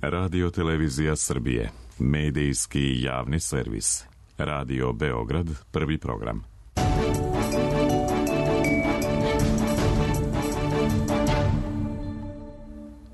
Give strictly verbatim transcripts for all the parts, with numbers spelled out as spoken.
Radio Televizija Srbije, medijski javni servis. Radio Beograd, prvi program.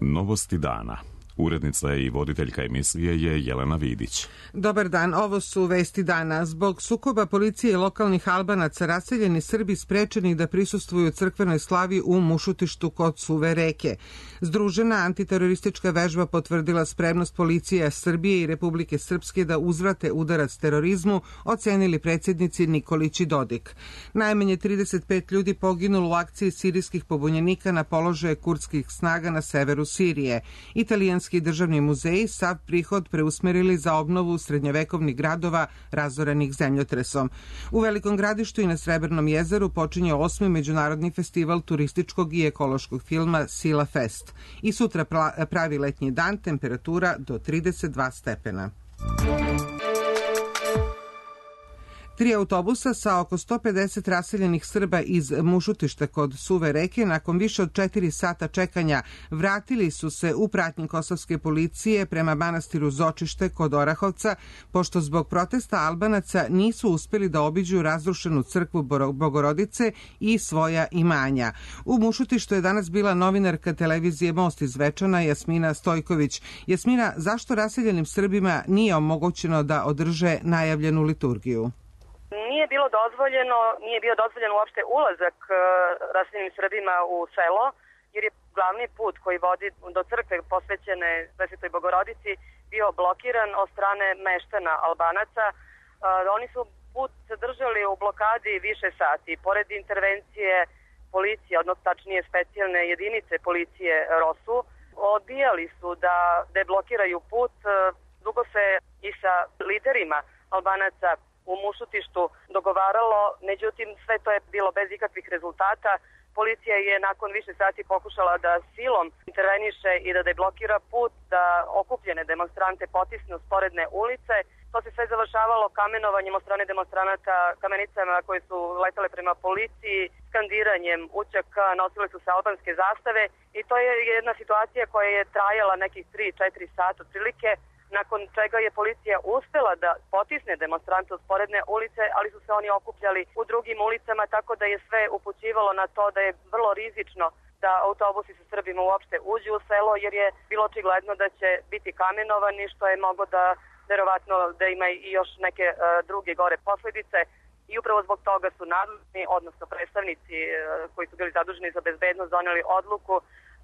Novosti dana. Urednica i voditeljka emisije je Jelena Vidić. Dobar dan, ovo su vesti dana. Zbog sukoba policije i lokalnih Albanaca raseljeni Srbi sprečeni da prisustvuju crkvenoj slavi u Mušutištu kod Suve reke. Združena antiteroristička vežba potvrdila spremnost policije Srbije i Republike Srpske da uzvrate udarac terorizmu, ocenili predsjednici Nikolić i Dodik. Najmanje trideset pet ljudi poginulo u akciji sirijskih pobunjenika na položaje kurdskih snaga na severu Sirije. Italijanski državni muzeji sav prihod preusmerili za obnovu srednjovekovnih gradova razorenih zemljotresom. U Velikom Gradištu i na Srebrnom jezeru počinje osmi međunarodni festival turističkog i ekološkog filma Sila Fest. I sutra pravi letnji dan, temperatura do trideset dva stepena. Tri autobusa sa oko sto pedeset raseljenih Srba iz Mušutišta kod Suve reke nakon više od četiri sata čekanja vratili su se u pratnji kosovske policije prema manastiru Zočište kod Orahovca, pošto zbog protesta Albanaca nisu uspeli da obiđu razrušenu crkvu Bogorodice i svoja imanja. U Mušutištu je danas bila novinarka televizije Most iz Zvečana Jasmina Stojković. Jasmina, zašto raseljenim Srbima nije omogućeno da održe najavljenu liturgiju? Nije bilo dozvoljeno, nije bio dozvoljen uopšte ulazak uh, raseljenim Srbima u selo, jer je glavni put koji vodi do crkve posvećene Presvetoj Bogorodici bio blokiran od strane meštana Albanaca. Uh, oni su put držali u blokadi više sati. Pored intervencije policije, odnosno tačnije specijalne jedinice policije ROSU, odbijali su da deblokiraju put. Uh, dugo se i sa liderima Albanaca u Mušutištu dogovaralo, međutim sve to je bilo bez ikakvih rezultata. Policija je nakon više sati pokušala da silom interveniše i da deblokira put, da okupljene demonstrante potisne u sporedne ulice. To se sve završavalo kamenovanjem od strane demonstranata, kamenicama koje su letale prema policiji, skandiranjem učaka, nosile su se albanske zastave i to je jedna situacija koja je trajala nekih tri do četiri sata otprilike, nakon čega je policija uspela da potisne demonstrante u sporedne ulice, ali su se oni okupljali u drugim ulicama, tako da je sve upućivalo na to da je vrlo rizično da autobusi sa Srbima uopšte uđu u selo, jer je bilo očigledno da će biti kamenovani, što je mogo da verovatno da ima i još neke uh, druge gore posledice. I upravo zbog toga su nadležni, odnosno predstavnici uh, koji su bili zaduženi za bezbednost, doneli odluku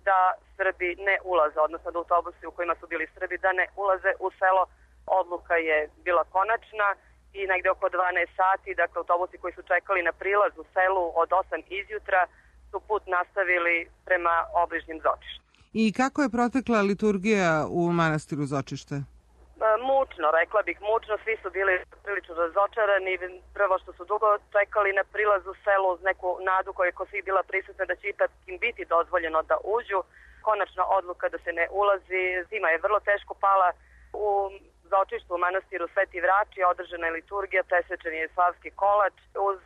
da Srbi ne ulaze, odnosno da autobusi u kojima su bili Srbi da ne ulaze u selo. Odluka je bila konačna i negde oko dvanaest sati, dakle autobusi koji su čekali na prilaz u selu od osam izjutra su put nastavili prema obližnjim Zočištu. I kako je protekla liturgija u manastiru Zočište? Mučno, rekla bih, mučno, svi su bili prilično razočarani, prvo što su dugo čekali na prilaz u selu uz neku nadu koja je ko svih bila prisutna da će ipak im biti dozvoljeno da uđu. Konačna odluka da se ne ulazi, zima je vrlo teško pala. U Zočištu u manastiru Sveti Vrači održana je liturgija, presvečen je slavski kolač. Uz,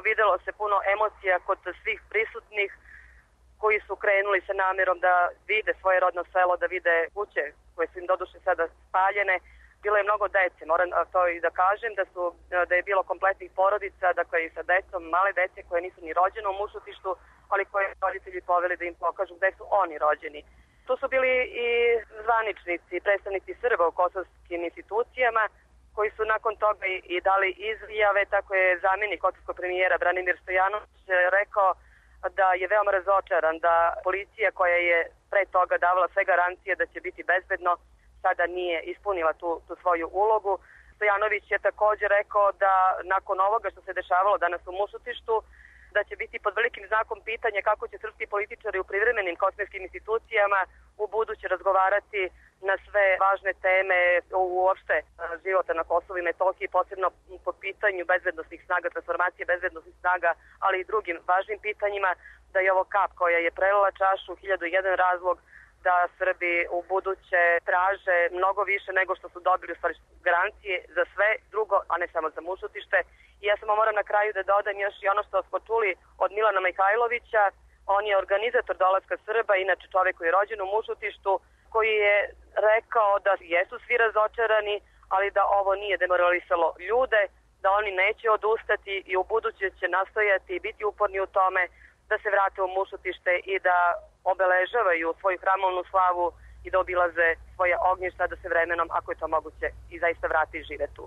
videlo se puno emocija kod svih prisutnih koji su krenuli sa namjerom da vide svoje rodno selo, da vide kuće koje su im doduše sada spaljene. Bilo je mnogo dece, moram to i da kažem, da, su, da je bilo kompletnih porodica, dakle i sa decom, male dece koje nisu ni rođene u Mušutištu, ali koje roditelji poveli da im pokažu gde su oni rođeni. Tu su bili i zvaničnici, predstavnici Srba u kosovskim institucijama, koji su nakon toga i, i dali izjave. Tako je zamjenik kosovskog premijera Branimir Stojanović rekao da je veoma razočaran da policija koja je pre toga davala sve garancije da će biti bezbedno, sada nije ispunila tu, tu svoju ulogu. Stojanović je također rekao da nakon ovoga što se dešavalo danas u Mušutištu, da će biti pod velikim znakom pitanja kako će srpski političari u privremenim kosovskim institucijama u buduće razgovarati na sve važne teme uopšte života na Kosovu i Metohiji, posebno po pitanju bezbednosnih snaga, transformacije bezbednosnih snaga, ali i drugim važnim pitanjima, da je ovo kap koja je prelila čašu, hiljadu i jedan razlog da Srbi u buduće traže mnogo više nego što su dobili u stvari garancije za sve drugo, a ne samo za Mušutište. I ja samo moram na kraju da dodam još i ono što smo čuli od Milana Mihajlovića. On je organizator dolaska Srba, inače čovjek koji je rođen u Mušutištu, koji je rekao da jesu svi razočarani, ali da ovo nije demoralisalo ljude, da oni neće odustati i u buduće će nastojati i biti uporni u tome da se vrate u Mušutište i da obeležavaju svoju hramovnu slavu i da obilaze svoje ognjišta, da se vremenom, ako je to moguće, i zaista vrati i žive tu.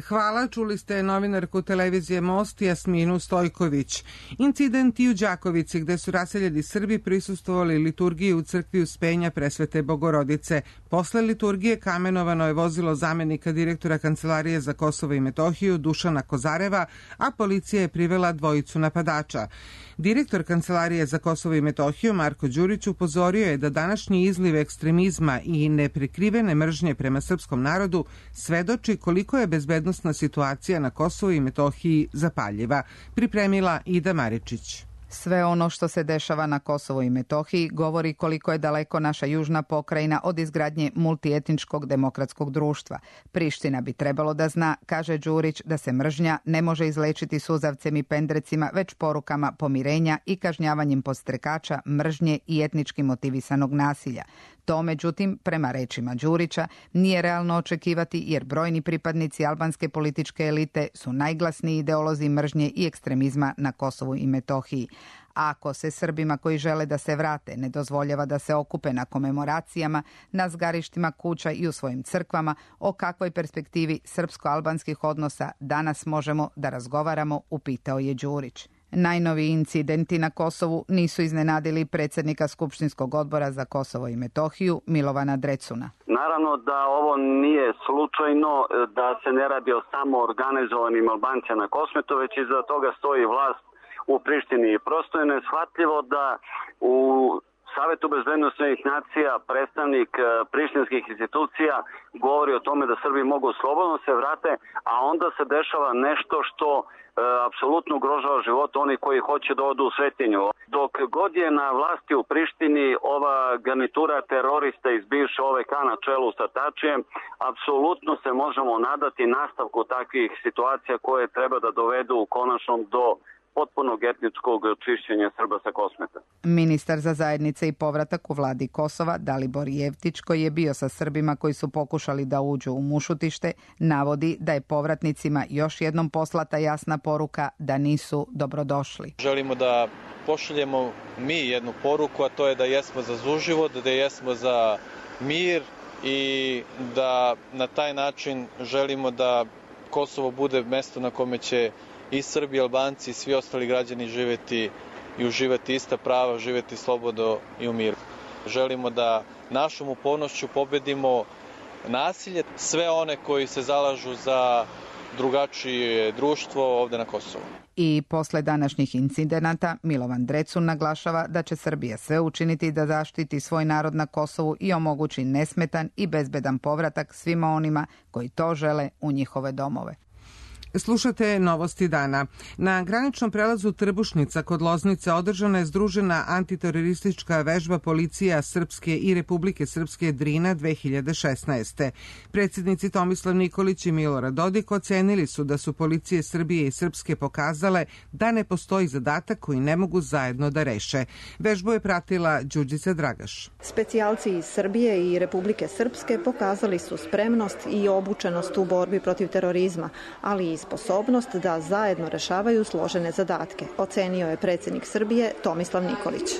Hvala, čuli ste novinarku televizije Most Jasminu Stojković. Incident i u Đakovici, gde su raseljeni Srbi prisustvovali liturgiji u crkvi Uspenja Presvete Bogorodice. Posle liturgije kamenovano je vozilo zamenika direktora Kancelarije za Kosovo i Metohiju Dušana Kozareva, a policija je privela dvojicu napadača. Direktor Kancelarije za Kosovo i Metohiju Marko Đurić upozorio je da današnji izliv ekstremizma i neprekrivene mržnje prema srpskom narodu svedoči koliko je bezbednosna situacija na Kosovu i Metohiji zapaljiva. Pripremila Ida Maričić. Sve ono što se dešava na Kosovu i Metohiji govori koliko je daleko naša južna pokrajina od izgradnje multietničkog demokratskog društva. Priština bi trebalo da zna, kaže Đurić, da se mržnja ne može izlečiti suzavcem i pendrecima, već porukama pomirenja i kažnjavanjem podstrekača, mržnje i etnički motivisanog nasilja. To, međutim, prema rečima Đurića, nije realno očekivati jer brojni pripadnici albanske političke elite su najglasniji ideolozi mržnje i ekstremizma na Kosovu i Metohiji. A ako se Srbima koji žele da se vrate ne dozvoljava da se okupe na komemoracijama, na zgarištima kuća i u svojim crkvama, o kakvoj perspektivi srpsko-albanskih odnosa danas možemo da razgovaramo, upitao je Đurić. Najnoviji incidenti na Kosovu nisu iznenadili predsjednika Skupštinskog odbora za Kosovo i Metohiju Milovana Drecuna. Naravno da ovo nije slučajno, da se ne radi o samo organizovanim Albancima na Kosmetu, već iza toga stoji vlast u Prištini. I prosto je neshvatljivo da u Savetu bezbednosnih nacija predstavnik prištinskih institucija govori o tome da Srbi mogu slobodno se vrate, a onda se dešava nešto što e, apsolutno ugrožava život oni koji hoće da odu u svetinju. Dok god je na vlasti u Prištini ova garnitura terorista iz bivše O V K na čelu sa Tačijem, apsolutno se možemo nadati nastavku takvih situacija koje treba da dovedu konačno do potpunog etničkog čišćenja Srba sa Kosmeta. Ministar za zajednice i povratak u vladi Kosova, Dalibor Jevtić, koji je bio sa Srbima koji su pokušali da uđu u Mušutište, navodi da je povratnicima još jednom poslata jasna poruka da nisu dobrodošli. Želimo da pošaljemo mi jednu poruku, a to je da jesmo za suživot, da jesmo za mir i da na taj način želimo da Kosovo bude mesto na kome će i Srbi, Albanci i svi ostali građani živjeti i uživati ista prava, živjeti slobodno i u miru. Želimo da našom upornošću pobedimo nasilje, sve one koji se zalažu za drugačije društvo ovde na Kosovu. I posle današnjih incidenata Milovan Drecun naglašava da će Srbija sve učiniti da zaštiti svoj narod na Kosovu i omogući nesmetan i bezbedan povratak svima onima koji to žele u njihove domove. Slušate Novosti dana. Na graničnom prelazu Trbušnica kod Loznice održana je združena antiteroristička vežba policija Srpske i Republike Srpske Drina dve hiljade šesnaeste. Predsjednici Tomislav Nikolić i Milorad Dodik ocenili su da su policije Srbije i Srpske pokazale da ne postoji zadatak koji ne mogu zajedno da reše. Vežbu je pratila Đurđica Dragaš. Specijalci iz Srbije i Republike Srpske pokazali su spremnost i obučenost u borbi protiv terorizma, ali i sposobnost da zajedno rešavaju složene zadatke, ocenio je predsjednik Srbije Tomislav Nikolić.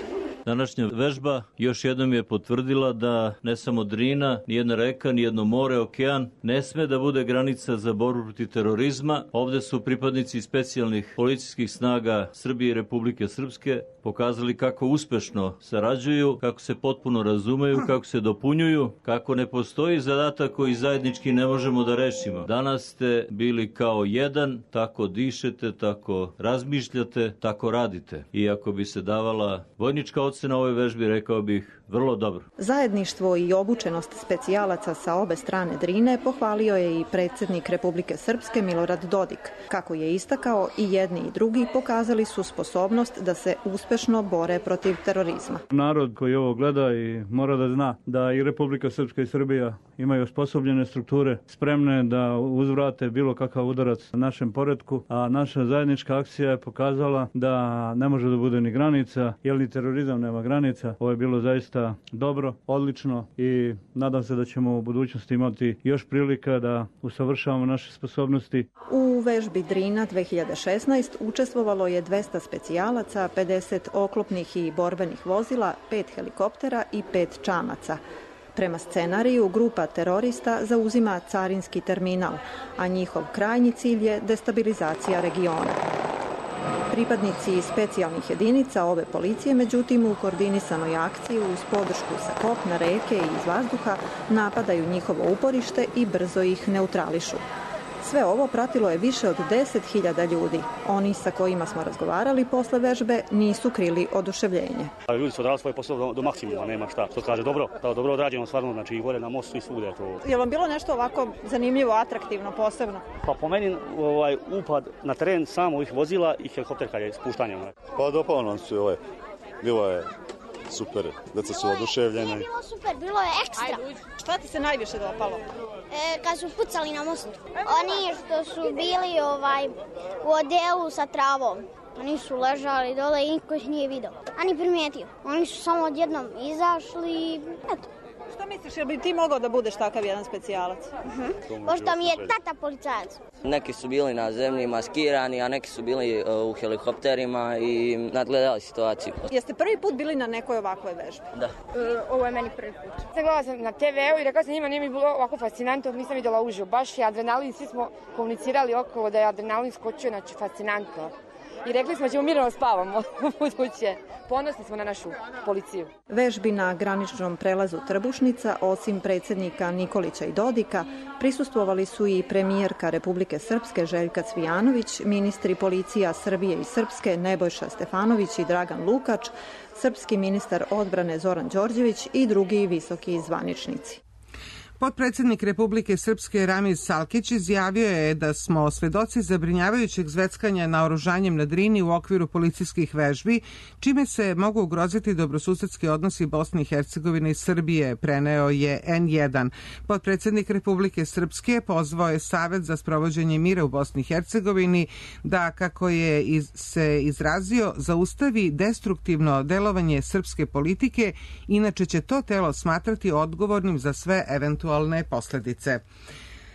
Današnja vežba još jednom je potvrdila da ne samo Drina, nijedna reka, nijedno more, okean ne sme da bude granica za borbu protiv terorizma. Ovde su pripadnici specijalnih policijskih snaga Srbije i Republike Srpske pokazali kako uspešno sarađuju, kako se potpuno razumeju, kako se dopunjuju, kako ne postoji zadatak koji zajednički ne možemo da rešimo. Danas ste bili kao jedan, tako dišete, tako razmišljate, tako radite. I ako bi se davala vojnička ocena ove vežbi, rekao bih vrlo dobro. Zajedništvo i obučenost specijalaca sa obe strane Drine pohvalio je i predsjednik Republike Srpske Milorad Dodik. Kako je istakao, i jedni i drugi pokazali su sposobnost da se uspešno bore protiv terorizma. Narod koji ovo gleda i mora da zna da i Republika Srpska i Srbija imaju osposobljene strukture, spremne da uzvrate bilo kakav udarac našem poretku, a naša zajednička akcija je pokazala da ne može da bude ni granica, jer ni terorizam ne nema granica. Ovo je bilo zaista dobro, odlično i nadam se da ćemo u budućnosti imati još prilika da usavršavamo naše sposobnosti. U vežbi Drina dve hiljade šesnaeste učestvovalo je dvesta specijalaca, pedeset oklopnih i borbenih vozila, pet helikoptera i pet čamaca. Prema scenariju, grupa terorista zauzima carinski terminal, a njihov krajnji cilj je destabilizacija regiona. Pripadnici specijalnih jedinica ove policije, međutim, u koordinisanoj akciji uz podršku sa kopna, reke i iz vazduha napadaju njihovo uporište i brzo ih neutrališu. Sve ovo pratilo je više od deset hiljada ljudi. Oni sa kojima smo razgovarali posle vežbe nisu krili oduševljenje. Ljudi su odradili svoj posao do, do maksimuma, nema šta. Što kaže dobro, da, dobro odrađeno stvarno, znači i gore na mostu i svugde. To... Je vam bilo nešto ovako zanimljivo, atraktivno, posebno? Pa po meni ovaj, upad na teren samo ovih vozila i helikopter kad je spuštanje. Pa dopalo nam se ovaj, bilo je super, deca su oduševljene. Nije bilo super, bilo je ekstra. Šta ti se najviše dopalo? E, kad su pucali na mostu. Oni što su bili ovaj, u odelu sa travom. Oni su ležali dole i niko ih nije vidio. A ni primijetio. Oni su samo odjednom izašli i eto. Šta misliš, jel bi ti mogao da budeš takav jedan specijalac? Uh-huh. Pošto mi je tata policajac. Neki su bili na zemlji maskirani, a neki su bili uh, u helikopterima i nadgledali situaciju. Jeste prvi put bili na nekoj ovakvoj vežbi? Da. Uh, ovo je meni prvi put. Sad gledala sam na te veu i rekla sam njima, nije mi bilo ovako fascinantno, nisam vidjela uživo. Baš je adrenalin, svi smo komunicirali okolo da je adrenalin skočio, znači fascinantno. I rekli smo da ćemo mirno spavamo u buduće. Ponosni smo na našu policiju. Vežbi na graničnom prelazu Trbušnica, osim predsjednika Nikolića i Dodika, prisustvovali su i premijerka Republike Srpske Željka Cvijanović, ministri policija Srbije i Srpske Nebojša Stefanović i Dragan Lukač, srpski ministar odbrane Zoran Đorđević i drugi visoki zvaničnici. Potpredsjednik Republike Srpske Ramiz Salkić izjavio je da smo svedoci zabrinjavajućeg zveckanja naoružanjem na Drini u okviru policijskih vežbi, čime se mogu ugroziti dobrosusedski odnosi Bosne i Hercegovine i Srbije, preneo je en jedan. Potpredsjednik Republike Srpske pozvao je Savet za sprovođenje mira u Bosni i Hercegovini da, kako je iz, se izrazio, zaustavi destruktivno delovanje srpske politike, inače će to telo smatrati odgovornim za sve eventualne posledice.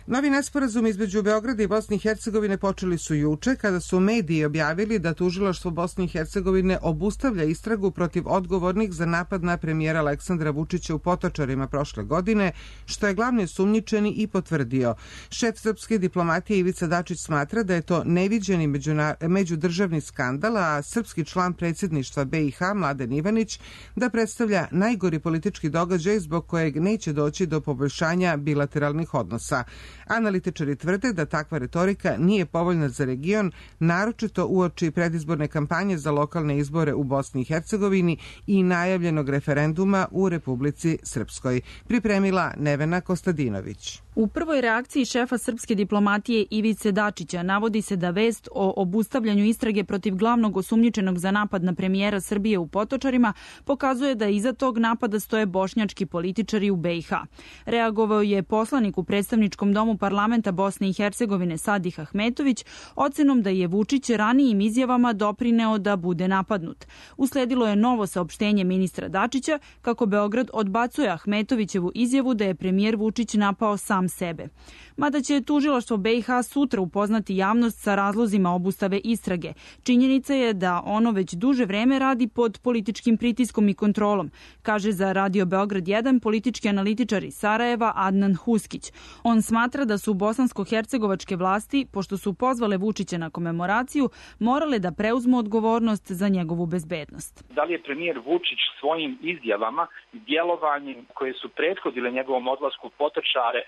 Novi nesporazum između Beograda i Bosne i Hercegovine počeli su juče kada su mediji objavili da tužilaštvo Bosne i Hercegovine obustavlja istragu protiv odgovornih za napad na premijera Aleksandra Vučića u Potočarima prošle godine, što je glavni osumnjičeni i potvrdio. Šef srpske diplomatije Ivica Dačić smatra da je to neviđeni međudržavni skandal, a srpski član predsjedništva be i ha Mladen Ivanić da predstavlja najgori politički događaj zbog kojeg neće doći do poboljšanja bilateralnih odnosa. Analitičari tvrde da takva retorika nije povoljna za region, naročito uoči predizborne kampanje za lokalne izbore u Bosni i Hercegovini i najavljenog referenduma u Republici Srpskoj. Pripremila Nevena Kostadinović. U prvoj reakciji šefa srpske diplomatije Ivice Dačića navodi se da vest o obustavljanju istrage protiv glavnog osumnjičenog za napad na premijera Srbije u Potočarima pokazuje da iza tog napada stoje bošnjački političari u be i ha. Reagovao je poslanik u predstavničkom domu parlamenta Bosne i Hercegovine Sadih Ahmetović ocenom da je Vučić ranijim izjavama doprineo da bude napadnut. Usledilo je novo saopštenje ministra Dačića kako Beograd odbacuje Ahmetovićevu izjavu da je premijer Vučić napao sam sebe. Mada će tužilaštvo be i ha sutra upoznati javnost sa razlozima obustave istrage. Činjenica je da ono već duže vreme radi pod političkim pritiskom i kontrolom, kaže za Radio Beograd jedan politički analitičar iz Sarajeva Adnan Huskić. On smatra da su bosansko-hercegovačke vlasti, pošto su pozvale Vučića na komemoraciju, morale da preuzmu odgovornost za njegovu bezbednost. Da li je premijer Vučić svojim izjavama i djelovanjem koje su prethodile njegovom odlasku u Potočare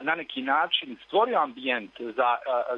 na neki način stvorio ambijent za,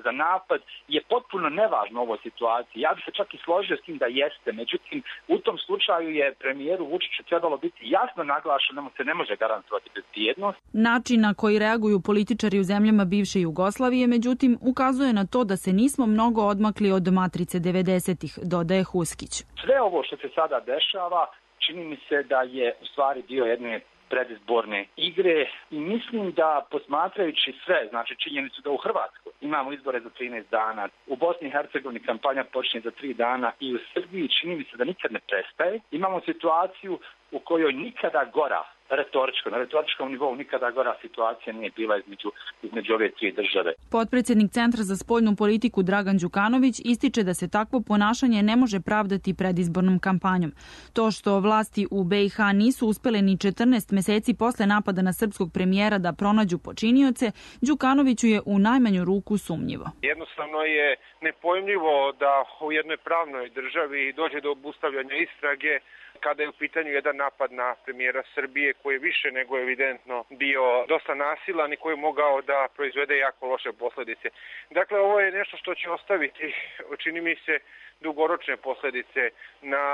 za napad je potpuno nevažno u ovoj situaciji. Ja bih se čak i složio s tim da jeste. Međutim, u tom slučaju je premijeru Vučiću trebalo biti jasno naglašeno da mu se ne može garantovati bezbjednost. Način na koji reaguju političari u zemljama bivše Jugoslavije, međutim, ukazuje na to da se nismo mnogo odmakli od matrice devedesetih, dodaje Huskić. Sve ovo što se sada dešava čini mi se da je u stvari dio jedne predizborne igre i mislim da posmatrajući sve, znači činjenicu da u Hrvatskoj imamo izbore za trinaest dana. U Bosni i Hercegovini kampanja počinje za tri dana i u Srbiji čini mi se da nikad ne prestaje. Imamo situaciju u kojoj nikada gora, retoričko, na retoričkom nivou nikada gora situacija nije bila između, između ove tri države. Potpredsjednik Centra za spoljnu politiku Dragan Đukanović ističe da se takvo ponašanje ne može pravdati predizbornom kampanjom. To što vlasti u B i H nisu uspele ni četrnaest meseci posle napada na srpskog premijera da pronađu počinioce, Đukanoviću je u najmanju ruku sumnjivo. Jednostavno je nepojmljivo da u jednoj pravnoj državi dođe do obustavljanja istrage kada je u pitanju jedan napad na premijera Srbije koji je više nego evidentno bio dosta nasilan i koji je mogao da proizvede jako loše posledice. Dakle, ovo je nešto što će ostaviti, čini mi se, dugoročne posledice na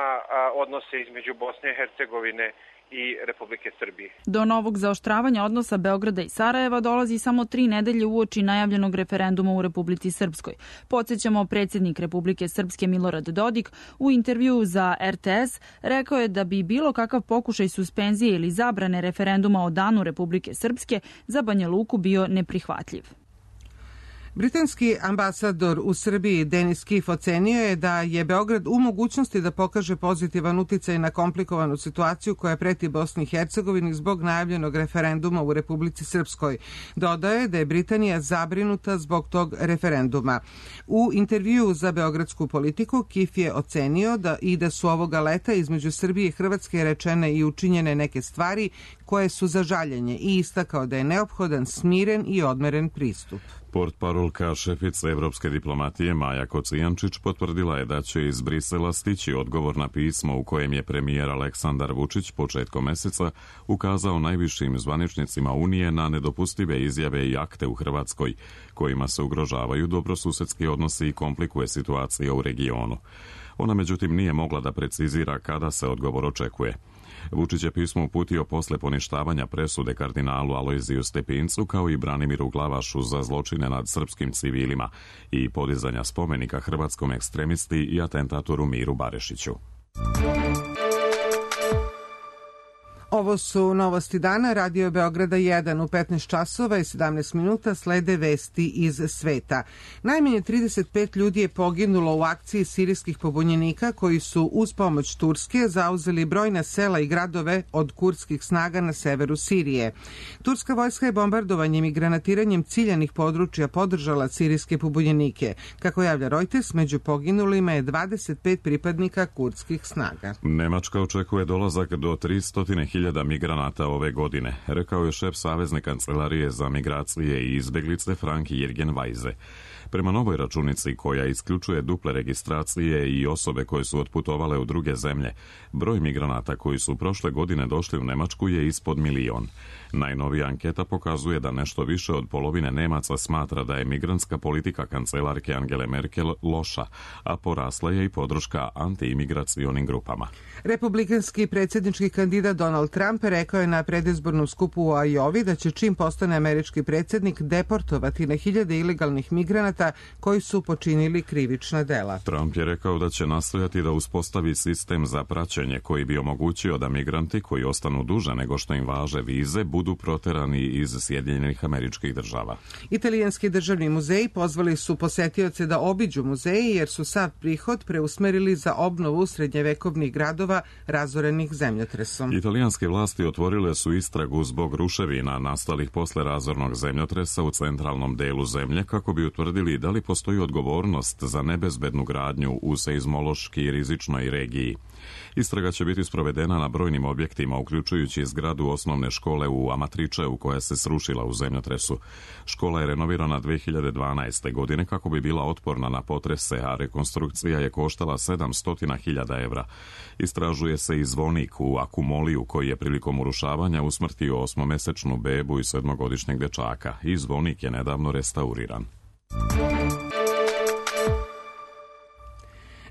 odnose između Bosne i Hercegovine i Republike Srbije. Do novog zaoštravanja odnosa Beograda i Sarajeva dolazi samo tri nedelje uoči najavljenog referenduma u Republici Srpskoj. Podsjećamo, predsjednik Republike Srpske Milorad Dodik u intervjuu za R T S rekao je da bi bilo kakav pokušaj suspenzije ili zabrane referenduma o danu Republike Srpske za Banja Luku bio neprihvatljiv. Britanski ambasador u Srbiji Denis Kif ocenio je da je Beograd u mogućnosti da pokaže pozitivan uticaj na komplikovanu situaciju koja preti Bosni i Hercegovini zbog najavljenog referenduma u Republici Srpskoj. Dodao je da je Britanija zabrinuta zbog tog referenduma. U intervjuu za Beogradsku politiku Kif je ocenio da i da su ovoga leta između Srbije i Hrvatske rečene i učinjene neke stvari koje su za žaljenje i istakao da je neophodan smiren i odmeren pristup. Portparolka šefice evropske diplomatije Maja Kocijančić potvrdila je da će iz Brisela stići odgovor na pismo u kojem je premijer Aleksandar Vučić početkom meseca ukazao najvišim zvaničnicima Unije na nedopustive izjave i akte u Hrvatskoj, kojima se ugrožavaju dobrosusedski odnosi i komplikuje situacija u regionu. Ona međutim nije mogla da precizira kada se odgovor očekuje. Vučić je pismo uputio posle poništavanja presude kardinalu Alojziju Stepincu kao i Branimiru Glavašu za zločine nad srpskim civilima i podizanja spomenika hrvatskom ekstremisti i atentatoru Miru Barešiću. Ovo su novosti dana, Radio Beograda jedan u petnaest časova i sedamnaest minuta slede vesti iz sveta. Najmanje trideset pet ljudi je poginulo u akciji sirijskih pobunjenika koji su uz pomoć Turske zauzeli brojna sela i gradove od kurdskih snaga na severu Sirije. Turska vojska je bombardovanjem i granatiranjem ciljanih područja podržala sirijske pobunjenike. Kako javlja Reuters, među poginulima je dvadeset pet pripadnika kurdskih snaga. Nemačka očekuje dolazak do tristo hiljada migranata ove godine, rekao je šef Savezne kancelarije za migracije i izbeglice Frank Jürgen Weise. Prema novoj računici koja isključuje duple registracije i osobe koje su otputovale u druge zemlje, broj migranata koji su prošle godine došli u Nemačku je ispod milion. Najnovija anketa pokazuje da nešto više od polovine Nemaca smatra da je migrantska politika kancelarke Angele Merkel loša, a porasla je i podrška antiimigracionim grupama. Republikanski predsjednički kandidat Donald Trump rekao je na predizbornom skupu u Ajovi da će čim postane američki predsjednik deportovati na hiljade ilegalnih migranata koji su počinili krivična dela. Trump je rekao da će nastojati da uspostavi sistem za praćenje koji bi omogućio da migranti koji ostanu duže nego što im važe vize budu proterani iz Sjedinjenih Američkih Država. Italijanski državni muzeji pozvali su posetioce da obiđu muzeji jer su sav prihod preusmerili za obnovu srednjevekovnih gradova razorenih zemljotresom. Italijanske vlasti otvorile su istragu zbog ruševina nastalih posle razornog zemljotresa u centralnom delu zemlje kako bi utvrdili da li postoji odgovornost za nebezbednu gradnju u seizmološki rizičnoj regiji. Istraga će biti sprovedena na brojnim objektima, uključujući zgradu osnovne škole u Amatričeu koja se srušila u zemljotresu. Škola je renovirana dve hiljade dvanaeste. godine kako bi bila otporna na potrese, a rekonstrukcija je koštala sedamsto hiljada evra. Istražuje se i zvonik u Akumoliju koji je prilikom urušavanja usmrtio osmomesečnu bebu i sedmogodišnjeg dečaka i zvonik je nedavno restauriran.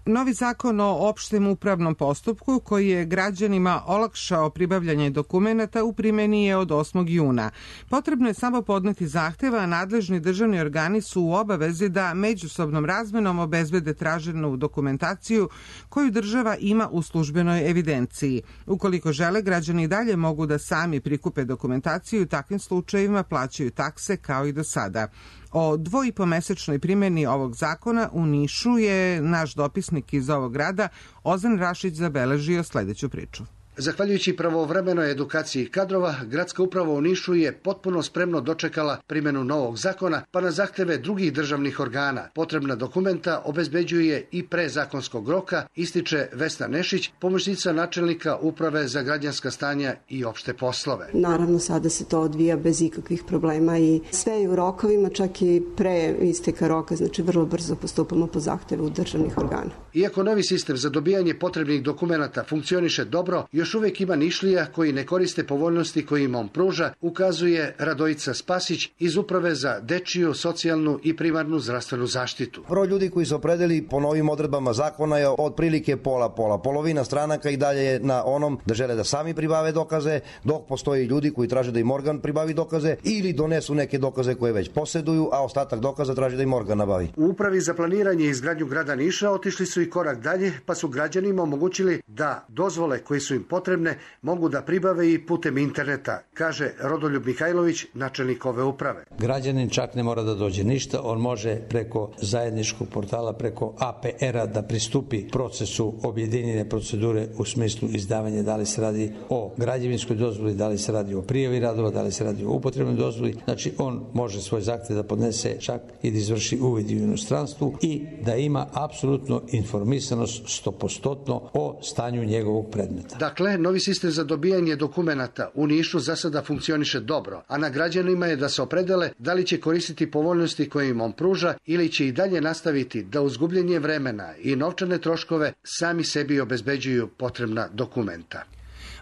Novi zakon o opštem upravnom postupku koji je građanima olakšao pribavljanje dokumenata u primjeni je od osmog juna. Potrebno je samo podneti zahteva, a nadležni državni organi su u obavezi da međusobnom razmenom obezbede traženu dokumentaciju koju država ima u službenoj evidenciji. Ukoliko žele, građani dalje mogu da sami prikupe dokumentaciju i u takvim slučajevima plaćaju takse kao i do sada. O dvoipomesečnoj primjeni ovog zakona u Nišu je naš dopisnik iz ovog grada Ozan Rašić zabeležio sledeću priču. Zahvaljujući pravovremenoj edukaciji kadrova, gradska uprava u Nišu je potpuno spremno dočekala primjenu novog zakona, pa na zahteve drugih državnih organa potrebna dokumenta obezbeđuje i pre zakonskog roka, ističe Vesna Nešić, pomoćnica načelnika Uprave za građanska stanja i opšte poslove. Naravno, sada se to odvija bez ikakvih problema i sve je u rokovima, čak i pre isteka roka, znači vrlo brzo postupamo po zahtevu državnih organa. Iako novi sistem za dobijanje potrebnih dokumenata funkcioniše dobro, još uvijek ima Nišlija koji ne koriste povoljnosti koje im on pruža, ukazuje Radojica Spasić iz Uprave za dečiju, socijalnu i primarnu zdravstvenu zaštitu. Broj ljudi koji se opredeli po novim odredbama zakona je otprilike pola pola. Polovina stranaka i dalje je na onom da žele da sami pribave dokaze, dok postoji ljudi koji traže da im organ pribavi dokaze ili donesu neke dokaze koje već posjeduju, a ostatak dokaza traže da im organ nabavi. U Upravi za planiranje i izgradnju grada Niša otišli su i korak dalje, pa su građanima omogućili da dozvole koje su im potrebne mogu da pribave i putem interneta, kaže Rodoljub Mihajlović, načelnik ove uprave. Građanin čak ne mora da dođe ništa, on može preko zajedničkog portala, preko A P R-a da pristupi procesu objedinjene procedure u smislu izdavanja, da li se radi o građevinskoj dozvoli, da li se radi o prijavi radova, da li se radi o upotrebnoj dozvoli. Znači on može svoj zahtev da podnese čak i da izvrši uvid u inostranstvu i da ima apsolutno informisanost stopostotno o stanju njegovog predmeta. Dakle, novi sistem za dobijanje dokumenata u Nišu za sada funkcioniše dobro, a na građanima je da se opredele da li će koristiti povoljnosti koje im on pruža ili će i dalje nastaviti da uz gubljenje vremena i novčane troškove sami sebi obezbeđuju potrebna dokumenta.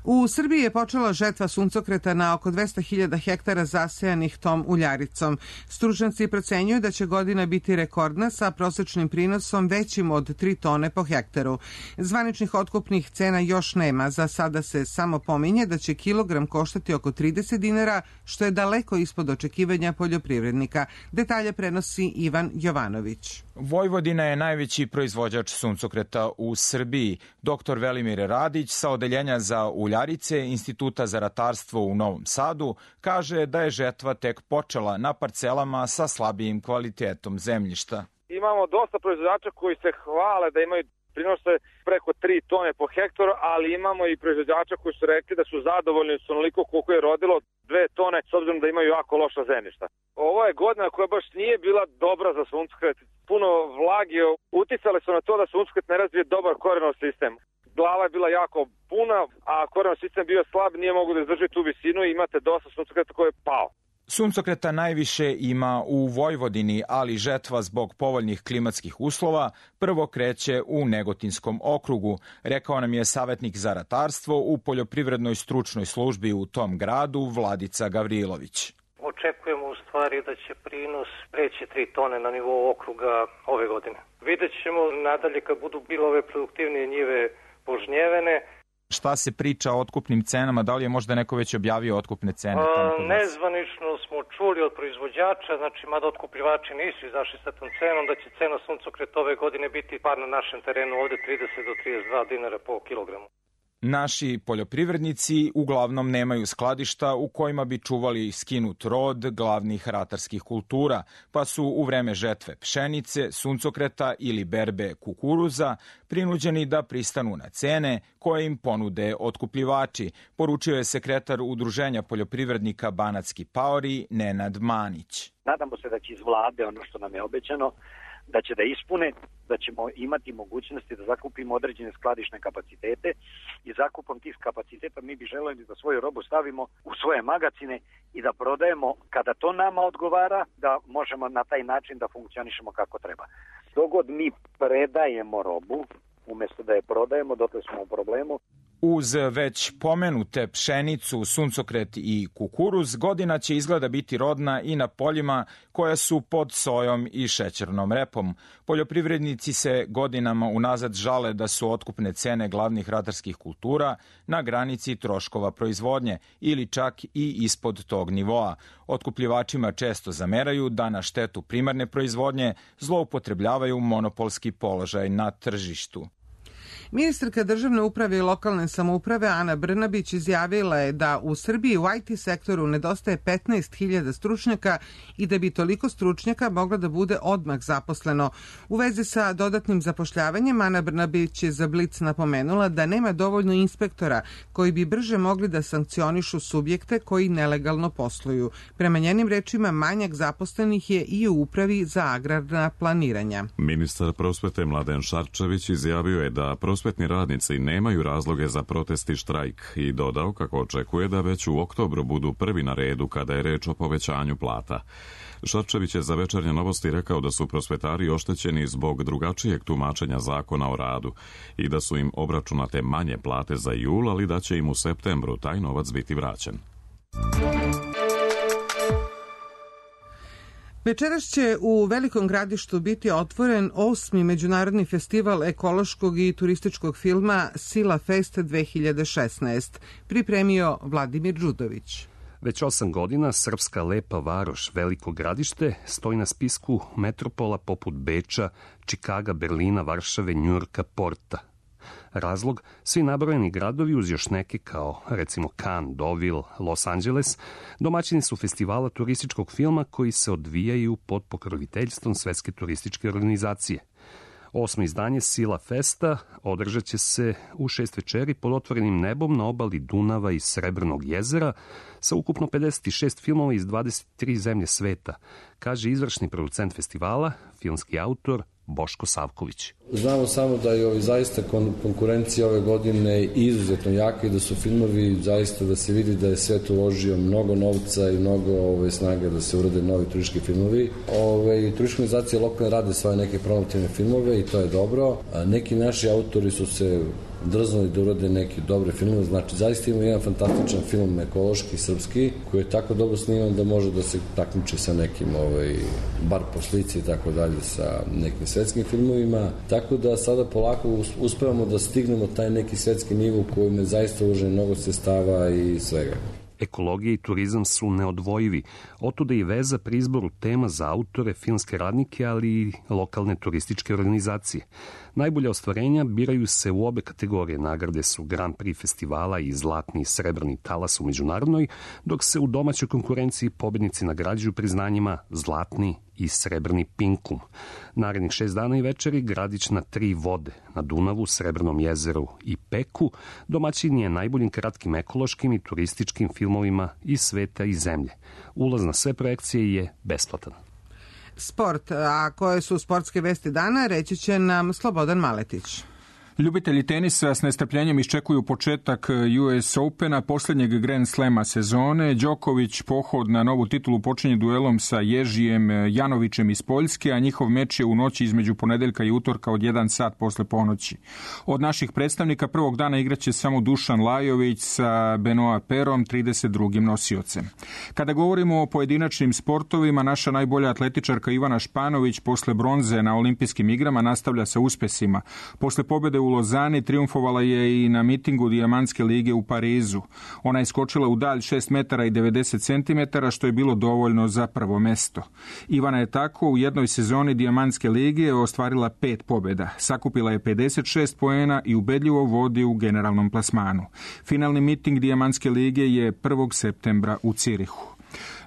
U Srbiji je počela žetva suncokreta na oko dvesta hiljada hektara zasejanih tom uljaricom. Stručnjaci procenjuju da će godina biti rekordna sa prosečnim prinosom većim od tri tone po hektaru. Zvaničnih otkupnih cena još nema. Za sada se samo pominje da će kilogram koštati oko trideset dinara, što je daleko ispod očekivanja poljoprivrednika. Detalje prenosi Ivan Jovanović. Vojvodina je najveći proizvođač suncokreta u Srbiji. Doktor Velimir Radić sa Odeljenja za uljarice Instituta za ratarstvo u Novom Sadu kaže da je žetva tek počela na parcelama sa slabijim kvalitetom zemljišta. Imamo dosta proizvođača koji se hvale da imaju prinose preko tri tone po hektaru, ali imamo i proizvođača koji su rekli da su zadovoljni s onoliko koliko je rodilo dve tone, s obzirom da imaju jako loša zemljišta. Ovo je godina koja baš nije bila dobra za suncokret. Puno vlage uticale su na to da suncokret ne razvije dobar korenov sistem. Glava je bila jako puna, a korenov sistem bio slab, nije mogu da izdrži tu visinu i imate dosta suncokreta koji je pao. Suncokreta najviše ima u Vojvodini, ali žetva zbog povoljnih klimatskih uslova prvo kreće u Negotinskom okrugu, rekao nam je savjetnik za ratarstvo u poljoprivrednoj stručnoj službi u tom gradu Vladica Gavrilović. Očekujemo u stvari da će prinos preći tri tone na nivou okruga ove godine. Vidjet ćemo nadalje kad budu bilo ove produktivnije njive požnjevene. Šta se priča o otkupnim cenama? Da li je možda neko već objavio otkupne cene? A, nezvanično smo čuli od proizvođača, znači mada otkupljivači nisu izašli sa tom cenom, da će cena suncokreta ove godine biti par na našem terenu ovde trideset do trideset dva dinara po kilogramu. Naši poljoprivrednici uglavnom nemaju skladišta u kojima bi čuvali skinut rod glavnih ratarskih kultura, pa su u vreme žetve pšenice, suncokreta ili berbe kukuruza prinuđeni da pristanu na cene koje im ponude otkupljivači, poručio je sekretar Udruženja poljoprivrednika Banatski paori Nenad Manić. Nadamo se da će iz vlade ono što nam je obećano, da će da ispune, da ćemo imati mogućnosti da zakupimo određene skladišne kapacitete i zakupom tih kapaciteta mi bi želeli da svoju robu stavimo u svoje magacine i da prodajemo kada to nama odgovara, da možemo na taj način da funkcionišemo kako treba. Dogod mi predajemo robu, umjesto da je prodajemo, dotle smo u problemu. Uz već pomenute pšenicu, suncokret i kukuruz, godina će izgleda biti rodna i na poljima koja su pod sojom i šećernom repom. Poljoprivrednici se godinama unazad žale da su otkupne cene glavnih ratarskih kultura na granici troškova proizvodnje ili čak i ispod tog nivoa. Otkupljivačima često zameraju da na štetu primarne proizvodnje zloupotrebljavaju monopolski položaj na tržištu. Ministarka državne uprave i lokalne samouprave Ana Brnabić izjavila je da u Srbiji u I T sektoru nedostaje petnaest hiljada stručnjaka i da bi toliko stručnjaka moglo da bude odmah zaposleno. U vezi sa dodatnim zapošljavanjem Ana Brnabić je za Blic napomenula da nema dovoljno inspektora koji bi brže mogli da sankcionišu subjekte koji nelegalno posluju. Prema njenim rečima, manjak zaposlenih je i u upravi za agrarna planiranja. Ministar prosvete Mladen Šarčević izjavio je da prosvetni radnici nemaju razloge za protest i štrajk i dodao kako očekuje da već u oktobru budu prvi na redu kada je reč o povećanju plata. Šarčević je za Večernje novosti rekao da su prosvetari oštećeni zbog drugačijeg tumačenja zakona o radu i da su im obračunate manje plate za jul, ali da će im u septembru taj novac biti vraćen. Večeras će u Velikom Gradištu biti otvoren osmi međunarodni festival ekološkog i turističkog filma Sila Fest dve hiljade šesnaest, pripremio Vladimir Đudović. Već osam godina srpska lepa varoš Veliko Gradište stoji na spisku metropola poput Beča, Čikaga, Berlina, Varšave, Njujorka, Porta. Razlog, svi nabrojeni gradovi uz još neke kao recimo Cannes, Deauville, Los Angeles, domaćini su festivala turističkog filma koji se odvijaju pod pokroviteljstvom Svetske turističke organizacije. Osmo izdanje Sila Festa održat će se u šest večeri pod otvorenim nebom na obali Dunava i Srebrnog jezera sa ukupno pedeset šest filmova iz dvadeset tri zemlje sveta, kaže izvršni producent festivala, filmski autor Boško Savković. Znamo samo da je ovaj, zaista kon, konkurencija ove godine izuzetno jaka i da su filmovi zaista da se vidi da je svet uložio mnogo novca i mnogo ovaj, snage da se urade novi turistički filmovi. Ovaj, turističke organizacije lokalne rade svoje neke promotivne filmove i to je dobro. A neki naši autori su se drznuli da urade neki dobre filmove, znači zaista ima jedan fantastičan film ekološki, srpski, koji je tako dobro sniman da može da se takmiči sa nekim, ovaj, bar po slici i tako dalje, sa nekim svetskim filmovima, tako da sada polako uspevamo da stignemo taj neki svetski nivo u kojem je zaista uloženo mnogo sredstava i svega. Ekologija i turizam su neodvojivi, otuda i veza pri izboru tema za autore, filmske radnike, ali i lokalne turističke organizacije. Najbolja ostvarenja biraju se u obe kategorije. Nagrade su Grand Prix festivala i zlatni i srebrni talas u međunarodnoj, dok se u domaćoj konkurenciji pobednici nagrađuju priznanjima zlatni i srebrni pinkum. Narednih šest dana i večeri Gradić na tri vode, na Dunavu, Srebrnom jezeru i Peku, domaćin je najboljim kratkim ekološkim i turističkim filmovima iz sveta i zemlje. Ulaz na sve projekcije je besplatan. Sport, a koje su sportske vesti dana, reći će nam Slobodan Maletić. Ljubitelji tenisa s nestrpljenjem iščekuju početak U S Opena, posljednjeg Grand Slema sezone. Đoković pohod na novu titulu počinje duelom sa Ježijem Janovićem iz Poljske, a njihov meč je u noći između ponedeljka i utorka od jedan sat posle ponoći. Od naših predstavnika prvog dana igraće samo Dušan Lajović sa Benoa Perom, trideset drugim nosiocem. Kada govorimo o pojedinačnim sportovima, naša najbolja atletičarka Ivana Španović posle bronze na olimpijskim igrama nastavlja sa uspesima. Posle pobjede u Lozani triumfovala je i na mitingu Dijamantske lige u Parizu. Ona je skočila u dalj šest metara i devedeset centimetara, što je bilo dovoljno za prvo mesto. Ivana je tako u jednoj sezoni Dijamantske lige ostvarila pet pobjeda. Sakupila je pedeset šest poena i ubedljivo vodi u generalnom plasmanu. Finalni miting Dijamantske lige je prvog septembra u Cirihu.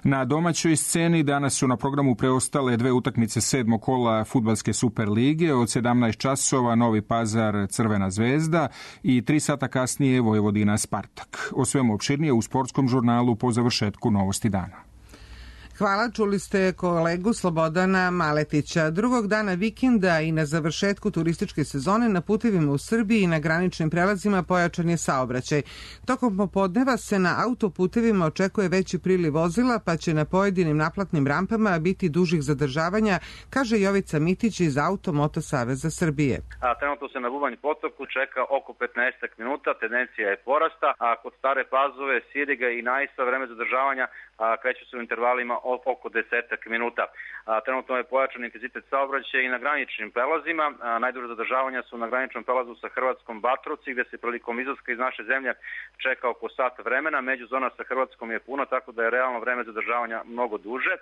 Na domaćoj sceni danas su na programu preostale dve utakmice sedmog kola fudbalske Super lige, od sedamnaest časova Novi Pazar Crvena zvezda i tri sata kasnije Vojvodina Spartak. O svemu opširnije u sportskom žurnalu po završetku Novosti dana. Hvala, čuli ste kolegu Slobodana Maletića. Drugog dana vikenda i na završetku turističke sezone na putevima u Srbiji i na graničnim prelazima pojačan je saobraćaj. Tokom popodneva se na autoputevima očekuje veći priliv vozila, pa će na pojedinim naplatnim rampama biti dužih zadržavanja, kaže Jovica Mitić iz Auto Moto Saveza Srbije. A trenutno se na Bubanj potoku čeka oko petnaest minuta, tendencija je porasta, a kod Stare Pazove, Siriga i Najsa vreme zadržavanja kreću se u intervalima oko desetak minuta. Trenutno je pojačan intenzitet saobraćaja i na graničnim prelazima. Najduže zadržavanja su na graničnom prelazu sa Hrvatskom Batrovci, gde se prilikom izlaska iz naše zemlje čeka oko sat vremena. Međuzona sa Hrvatskom je puno, tako da je realno vreme zadržavanja mnogo duže.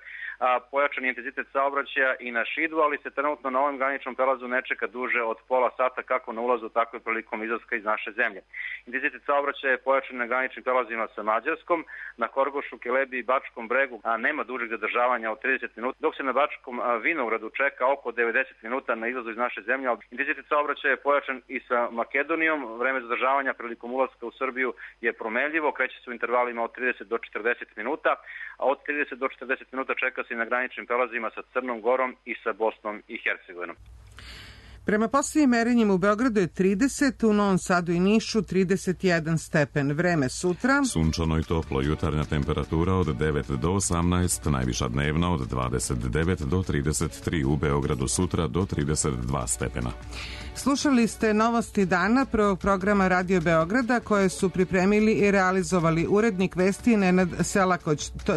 Pojačan je intenzitet saobraćaja i na Šidu, ali se trenutno na ovom graničnom prelazu ne čeka duže od pola sata kako na ulazu, tako i prilikom izlaska iz naše zemlje. Intenzitet saobraćaja je pojačan na graničnim prelazima sa Mađarskom, na Horgošu, Kelebi i Bačkom Bregu, a nema dužeg zadržavanja od trideset minuta, dok se na Bačkom Vinogradu čeka oko devedeset minuta na izlazu iz naše zemlje. Intenzitet saobraćaja je pojačan i sa Makedonijom. Vreme zadržavanja prilikom ulaska u Srbiju je promenljivo, kreće se u intervalima od trideset do četrdeset minuta, a od trideset do četrdeset minuta čeka se i na graničnim prelazima sa Crnom Gorom i sa Bosnom i Hercegovinom. Prema posljednjim merenjima u Beogradu je trideset, u Novom Sadu i Nišu trideset jedan stepen. Vreme sutra. Sunčano i toplo, jutarnja temperatura od devet do osamnaest, najviša dnevna od dvadeset devet do trideset tri, u Beogradu sutra do trideset dva stepena. Slušali ste novosti dana prvog programa Radio Beograda koje su pripremili i realizovali urednik vesti Nenad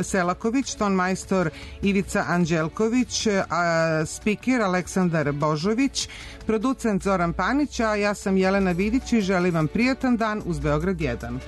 Selaković, tonmajstor Ivica Anđelković, a spiker Aleksandar Božović, producent Zoran Panić, a ja sam Jelena Vidić i želim vam prijatan dan uz Beograd jedan.